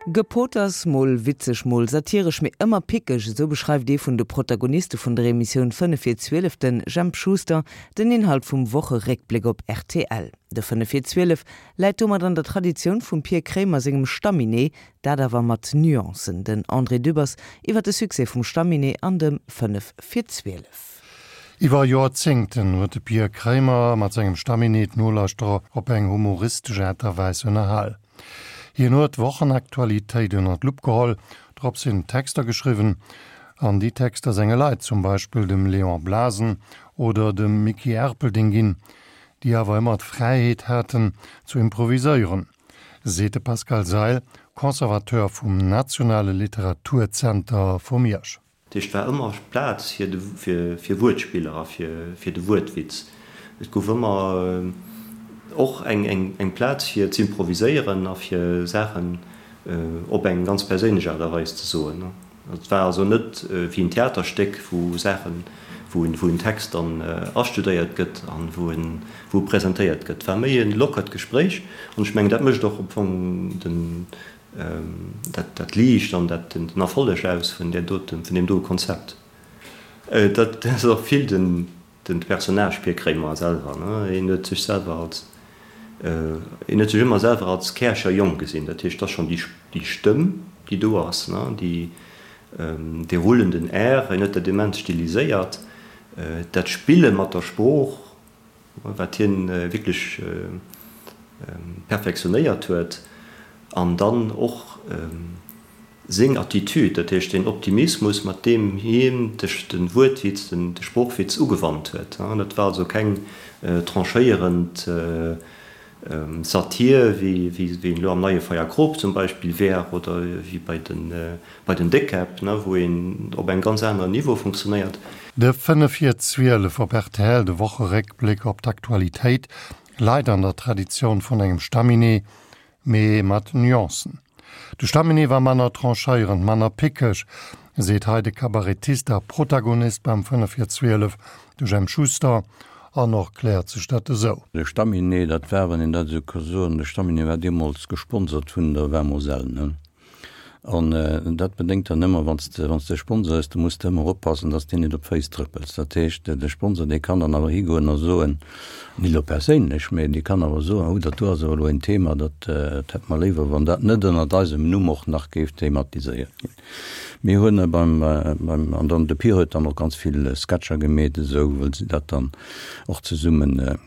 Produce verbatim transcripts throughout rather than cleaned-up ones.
Gepoters, mol witzeg, mol satiresch, mee ëmmer pickeg, esou beschreift ee vun de Protagoniste vun der Emissioun Fënnef vir zwielef, de Jemp Schuster, den Inhalt vum Wocheréckbléck op rtl. De Fënnef vir zwielef läit domat an der Traditioun vum Pir Kremer sengem Stamminet, dat awer mat Nuancen. Den André Dübbers iwwer de Succès vum Stamminet an dem Fënnef vir zwielef. Iwwer Joerzéngten huet de Pir Kremer mat sengem Stamminet d'Nolauschterer op eng humoristesch Aart a Weis ënnerhal. Hien huet d'Wochenaktualitéit ënner d'Lupp geholl, drop sinn Texter geschriwwen an déi Texter senge Leit, zum Beispill dem Léon Blasen oder dem Micky Erpelding ginn, déi awer ëmmer d'Fräiheet haten zu improviséieren, seet de Pascal Seil, Conservateur vum Nationale Literaturzenter vu Miersch. Dat heescht, et war ëmmer Plaz fir Wuertspiller a fir de Wuertwitz. Et gouf ëmmer och eng Plaz fir z'improviséieren a fir Saachen op eng ganz perséinlech Aart a Weis ze soen. Et war also net wéi en Theaterstéck, wou Saachen, wou en Text dann astudéiert gëtt a wou e presentéiert gëtt. Et war méi e lockert Gespréich an ech mengen, dat mécht och am Fong den, dat Liicht an dat den Erfolleg aus vun där doten, vun deem doe Konzept. Dat ass och vill den den Personnage Pir Kréimer selwer, ne, hien huet sech selwer als, hien huet sech ëmmer selwer als Käercher Jong gesinn. Dat heescht, et ass schonn déi déi Stëmm, déi do ass, ne, déi dee rullenden R, hien huet dat immens stiliséiert, dat Spille mat der Sprooch, wat hien wierklech perfektionéiert huet, an dann och seng Attitude, dat heescht deen Optimismus, mat deem hien de Wuertwitz, de Sproochwitz ugewannt huet. Dat war also keng tranchéierend Satir, wéi en elo am Neie Feierkrop zum Beispill wär oder wéi bei den Déckkäpp, wou een op engem ganz aneren Niveau funktionéiert. De fënnef vir zwielef op rtl, de Wocheréckbléck op d'Aktualitéit, leit an der Traditioun vun engem Stamminet, mee mat Nuancen. De Stamminet war manner tranchéierend, manner pickeg, seet hei de Kabarettist a Protagonist beim Fënnef vir zwielef, de Jemp Schuster, an och kläert sech dat esou. De Stamminet, dat war, wann een dat esou ka soen, de Stamminet war deemools gesponsert vun der Vin Moselle, ne? An dat bedéngt dann ëmmer, wann s de, wann s de Sponsor hues, da muss de ëmmer oppassen, dass s de net op d'Féiss trëppels. Dat heescht, de Sponsor, dee kann dann awer higoen a soen, net elo perséinlech, mä dee kann awer soen, oh, dat do ass awer elo en Thema, dat hätte mer léiwer, wann dat net ënnert eisem Numm och nach géif thematiséiert ginn. Mir hunn beim, beim, an dann de Pir huet dann och ganz vill Sketcher gemeet esou, wëll se dat dann och zesummen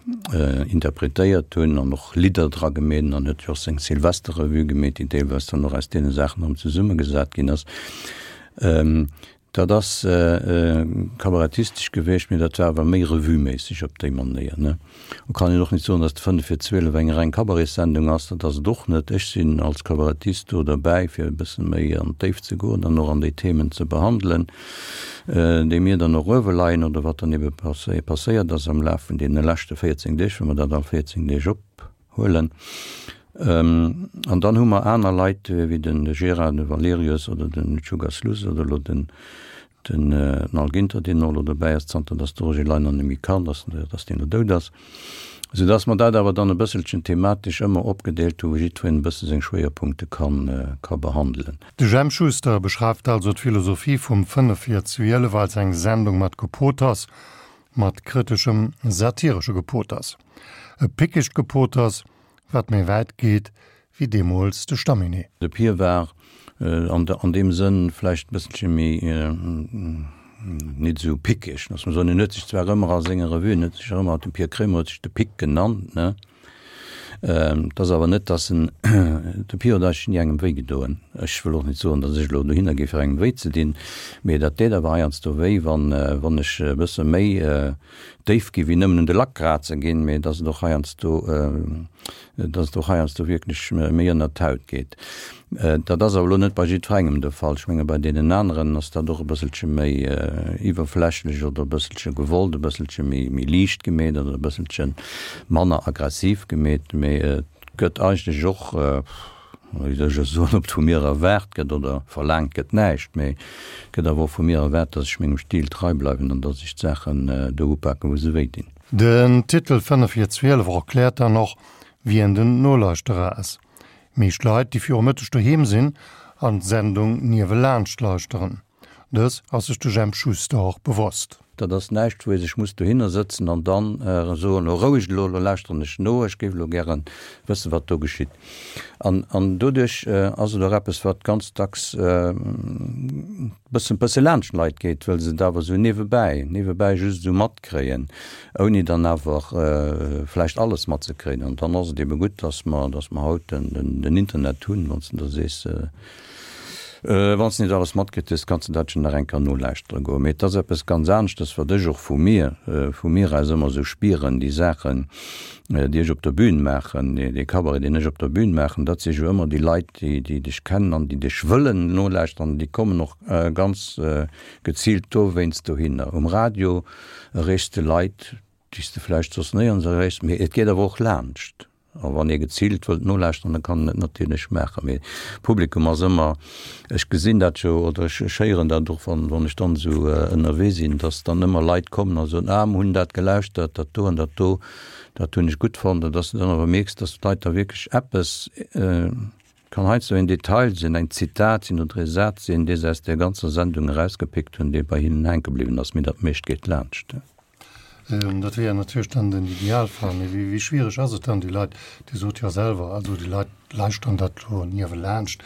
interpretéiert hunn an och Lidder dra gemeet an huet jo och seng Silvesterrevue gemeet, déi deelweis dann och aus deene Saachen erëm zesummegesat ginn ass. Dat ass kabarettistesch gewiescht, mee dat war awer méi revueméisseg op déi Manéier, ne? Et kann een och net soen, datt de Fënnef vir zwielef eng reng Cabaretssendung ass, dat ass et och net. Ech sinn als Kabarettist do derbäi, fir e bësse méi an d'Déift ze goen an och an déi Themen ze behandelen, déi mir dann och uewe leien oder wat dann ebe passéiert ass am Laf vun deene leschte véierzéng Deeg, wa mer dat all véierzéng Deeg ophuelen. An dann hu mer aner Leit wéi de Gérard, de Valerius oder de Džiugas Luss oder elo den den Al Ginter, deen och elo dobäi ass, zanter datt de Roger Leiner net méi kann, datt datt deen elo dout ass. Esou datt mer dat awer dann e bësselchen thematesch ëmmer opgedeelt hu, wou jiddwereen e bësse seng Schwéierpunkte kann ka behandelen. De Jemp Schuster beschreift also d'Philosophie vum Fënnef vir zwielef als eng Sendung mat Gepoters, mat kriteschem, satiresche Gepoters. E pickegt Gepoters, wat méi wäit geet wéi deemools de Stamminet. De Pir war an an deem Sënn vläicht e bësselche méi nit esou pickeg, loosse mer soen. En huet sech zwar ëmmer a senge Revuen huet sech ëmmer, de Pir Kremer huet sech de Pick genannt, ne? Et ass awer net, datt en, de Pir huet eigentlech ni engem wéi gedoen. Ech wëll och net soen, datt ech elo dohinner géif fir engem wéi ze dinn, mee dat deet awer heiansdo wéi, wann, wann ech e bësse méi déif gi wéi nëmmen un de Lack kraze ginn, mee datt et och heiansdo, datt et och heiansdo wierklech méi ënnert d'Haut geet. Dat ass awer elo net bei jiddwerengem de Fall. Ech menge bei deenen aneren ass dat och e bësselche méi iwwerflächlech oder e bësselche gewollt, e bësselche méi méi liicht gemeet oder e bësselche manner aggressiv gemeet. Mee et gëtt eigentlech och, wéi soll ech elo soen, ob et vu mir erwaart gëtt oder verlaangt gëtt, näischt. Mee et gëtt awer och vu mir erwaart, datt ech mengem Stil trei bleiwen an datt ech d'Saachen do upaken, wou se wéi dinn. Den Titel Fënnef vir zwielef erkläert dann och, wien den Nolauschterer ass. Meescht Leit, déi viru Mëtteg doheem sinn an d'Sendung niewelaanscht lauschteren. Dës ass sech de Jemp Schuster och bewosst. Dat ass näischt, wou ee sech muss dohinner sëtzen an dann soen, Elo roueg elo, elo lauschteren ech no, ech géif elo gären wëssen, wat do geschitt. An, an doduerch ass et och eppes, wat ganz dacks bëssen, bësse laanscht d'Leit geet, well se et awer esou niewebäi, niewebäi just esou matkréien, ouni dann awer vläicht alles matzekréien. An dann ass et ebe gutt, dass mer, dass mer haut den, den, den Internet hunn, wann s de da sees, Wann s de net alles matkritt hues, kanns de dat jo nach eng Kéier nolauschtere goen. Mee et ass eppes ganz aneschtes, wat ech och vu mir, vu mir aus ëmmer esou spieren, déi Saachen, déi ech op der Bühn maachen, dee Cabaret, deen ech op der Bühn maachen, dat si jo ëmmer déi Leit, déi, déi dech kennen an déi dech wëllen nolauschteren. Déi kommen och ganz geziilt dowéinst dohinner. Um Radio erreechs de Leit, déi s de vläicht soss néierens erreechs, mee et geet awer och laanscht. A wann ee geziilt wëllt nolauschteren, da kann en et natierlech maachen. Mee d'Publikum ass ëmmer, ech gesinn dat jo oder ech héieren dat och, wann, wann ech dann esou ënnerwee sinn, dass dann ëmmer Leit kommen a soen, ah, mer hunn dat gelauschtert, dat do an dat do, dat hunn ech gutt fonnt. An dass de dann awer mierks, dass d'Leit da wierklech eppes, kann heiansdo en Detail sinn, eng Zitat sinn oder e Saz sinn, dee se aus där ganzer Sendung erausgepickt hunn, dee bei hinnen hänke bliwwen ass. Mee dat meescht geet laanscht. Dat wier natierlech dann den Idealfall. Mee wéi schwiereg ass et dann, déi Leit, Dir sot jo selwer, also déi Leit lauschteren dat elo niewelaanscht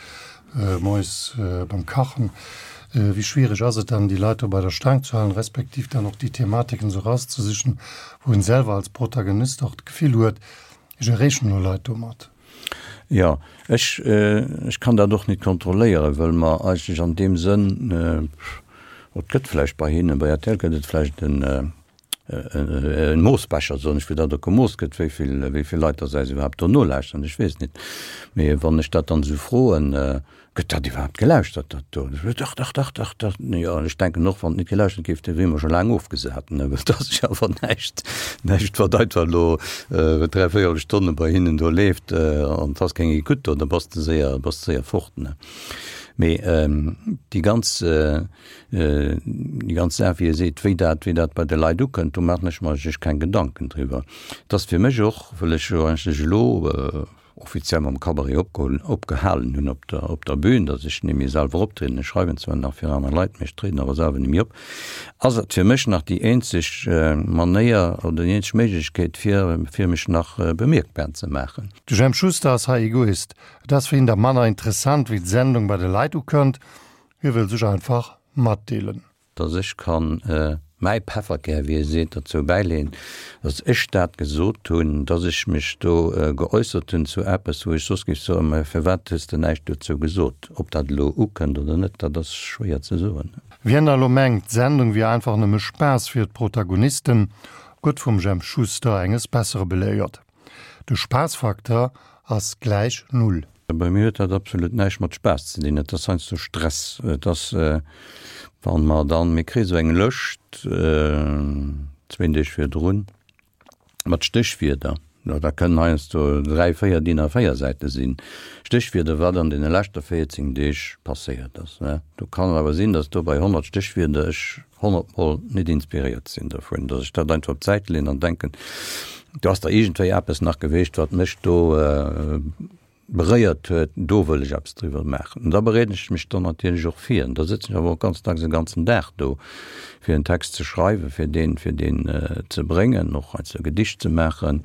moies beim Kachen, wéi schwiereg ass et dann, déi Leit do bei der Staang ze halen, respektiv dann och déi Thematiken esou erauszesichen, wou een selwer als Protagonist och d'Gefill huet, ech erreechen elo Leit domat? Jo, ech, ech kann dat och net kontrolléieren, well mer eigentlech an deem Sënn, et gëtt vläicht bei hinnen, bei rtl gëtt et vläicht en, e Moossbecher, soen ech, wou dat och gemooss gëtt, wéi vill, wéi vill Leit dass eis iwwerhaapt do nolauschteren, ech weess net. Mee wann ech dat dann esou froen, Gëtt dat iwwerhaapt gelauschtert, dat do? Dach, dach, dach, dach, dach. Jo, an ech denken och, wann et net gelauschtert géif, da wier mer scho laang ofgesat, ne, well et ass jo awer näischt, näischt, wat einfach elo dräi véierel Stonne bei hinnen do leeft an et ass keng Ecoute do, da bass de séier, bass de séier fort, ne. Mee déi ganz, déi ganz Saach, wéi e seet, wéi dat, wéi dat bei de Leit ukënnt, do maachen ech mer eigentlech keng Gedanken driwwer. Et ass fir mech och, wëll ech jo eigentlech elo offiziell mam Cabaret opgeholl, opgehalen hunn op der, op der Bühn, datt ech net méi selwer optrieden, ech schreiwen zwar nach fir aner Leit, mee ech trieden awer selwer net méi op, ass et fir mech nach déi eenzeg Manéier oder déi eenzeg Méiglechkeet, fir, fir mech nach bemierkbar ze maachen. De Jemp Schuster ass hei Egoist. Et ass fir hien da manner interessant, wéi d'Sendung bei de Leit ukënnt, hie wëll sech einfach matdeelen. Dass ech kann mäi Pefferkär, wéi ee seet, dozou bäileeën, dass ech dat gesot hunn, dass ech mech do geäussert hunn zu eppes, wou ech soss géif soen, Mä firwat hues de näischt dozou gesot? Ob dat elo ukënnt oder net, dat ass schwéier ze soen. Wien da elo mengt, d'Sendung wier einfach nëmme Spaass fir d'Protagonisten, gëtt vum Jemp Schuster enges Bessere beléiert. De Spaassfaktor ass gläich Null. Bei mir huet dat absolut näischt mat Spaass ze dinn. Et ass heiansdo Stress. Et ass, wa mer dann, mir kréie sou eng Lëscht zwéin Deeg virdrun mat Stéchwierder. Da kënnen heiansdo dräi, véier DIN A véier Säite sinn, Stéchwierder, wat an deene leschte véierzéng Deeg passéiert ass. Do kann et awer sinn, datt do bei honnert Stéchwierder ech honnert Mol net inspiréiert sinn dovun, datt ech dat einfach op d'Säit leeën an denken, do ass da iergendwéi eppes nach geweecht, wat mech do beréiert huet, do wëll ech eppes driwwer maachen. An da bereeden ech mech dann natierlech och vir. An da sëtzen ech awer och ganz dacks e ganzen Dag do, fir en Text ze schreiwen, fir deen, fir deen ze bréngen, och heiansdo e Gedicht ze maachen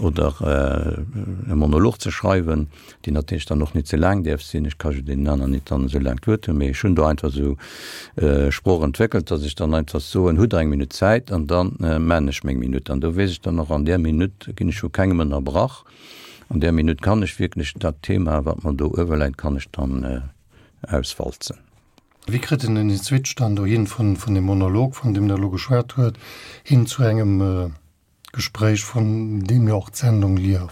oder e Monolog ze schreiwen, deen natierlech dann och net ze laang däerf sinn. Ech ka jo deenen aneren net dann esou laang d'Wuert hunn, mee ech hunn do einfach esou Sprooch entwéckelt, datt ech dann einfach soen, Hutt Der eng Minutt Zäit? An da maan ech meng Minutt. An do weess ech dann och, an där Minutt ginn ech vu kengem ënnerbrach. An där Minutt kann ech wierklech dat Thema, wat mer do uewe läit, kann ech dann auswalzen. Wéi kritt een den Switch dann dohin vun vun dem Monolog, vun deem Der elo geschwat huet, hin zu engem Gespréich, vun deem jo och d'Sendung lieft?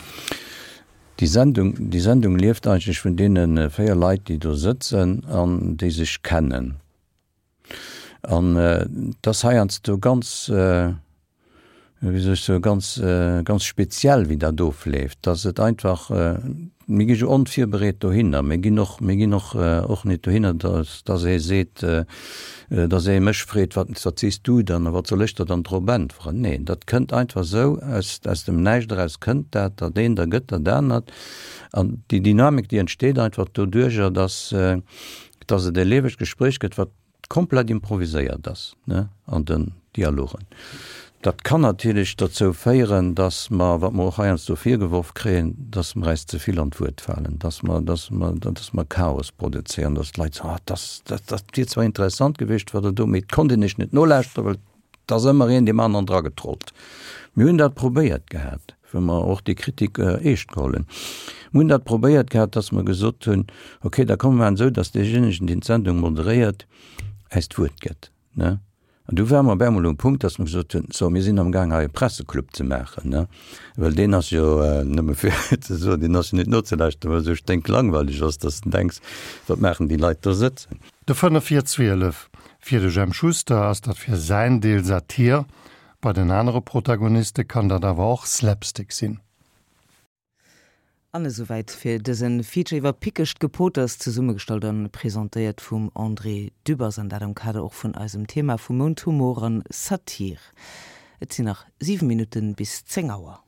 Déi Sendung, déi Sendung lieft eigentlech vun deene véier Leit, déi do sëtzen an déi sech kennen. An et ass heiansdo ganz, wéi soll ech soen, ganz, ganz speziell, wéi dat ofleeft, dass et einfach, Mir gi jo onvirbereet dohinner. Mir ginn och, mir ginn och, och net dohinner, dass, dass ee seet, dass ee mech freet, wat, wat sees du dann a wat soll ech der dann drop äntweren? Neen, dat kënnt einfach esou, aus, aus dem Näischt eraus kënnt dat, dat eent ergëtt dat anert. An déi Dynamik, déi entsteet einfach doduerjer, dass, dass et e liewegt Gespréich gëtt, wat komplett improviséiert ass, ne, an den Dialogen. Dat kann natierlech dozou féieren, dass mer, wat mer och heiansdo virgeworf kréien, dass mer eis ze vill an d'Wuert falen, dass mer, dass mer, dass mer Chaos produzéieren, dass d'Leit soen, ah, dass, dat, dat wier zwar interessant gewiescht, wat Der do, mee et konnt een Iech net nolauschteren, well et ass ëmmer een deem aneren dragetrollt. Mir hunn dat probéiert gehat, well mer och déi Kritik eescht geholl hunn. Mir hunn dat probéiert gehat, dass mer gesot hunn, okay, da komme mer esou, dass deejéinegen, deen d'Sendung moderéiert, äis d'Wuert gëtt, ne? An du ware mer op eemol um Punkt, dass mer gesot hunn, so, mir sinn amgaang hei e Presseclub ze maachen, ne? Well deen ass jo, nëmme fir ze soen, deen ass jo net nozelauschteren, well e sou sténklangweileg ass, dass de denks, wat maachen déi Leit do sëtzen? De fënnef vir zwielef. Fir de Jemp Schuster ass dat fir säin Deel Satir, bei den anere Protagoniste kann dat awer och Slapstick sinn. An esouwäit fir dëse Feature iwwer pickegt Gepoters, zesummegestallt an presentéiert vum André Dübbers, an dat am Kader och vun eisem Thema vum Mount, Humor an Satir. Et sinn nach siwe Minutten bis zéng Auer.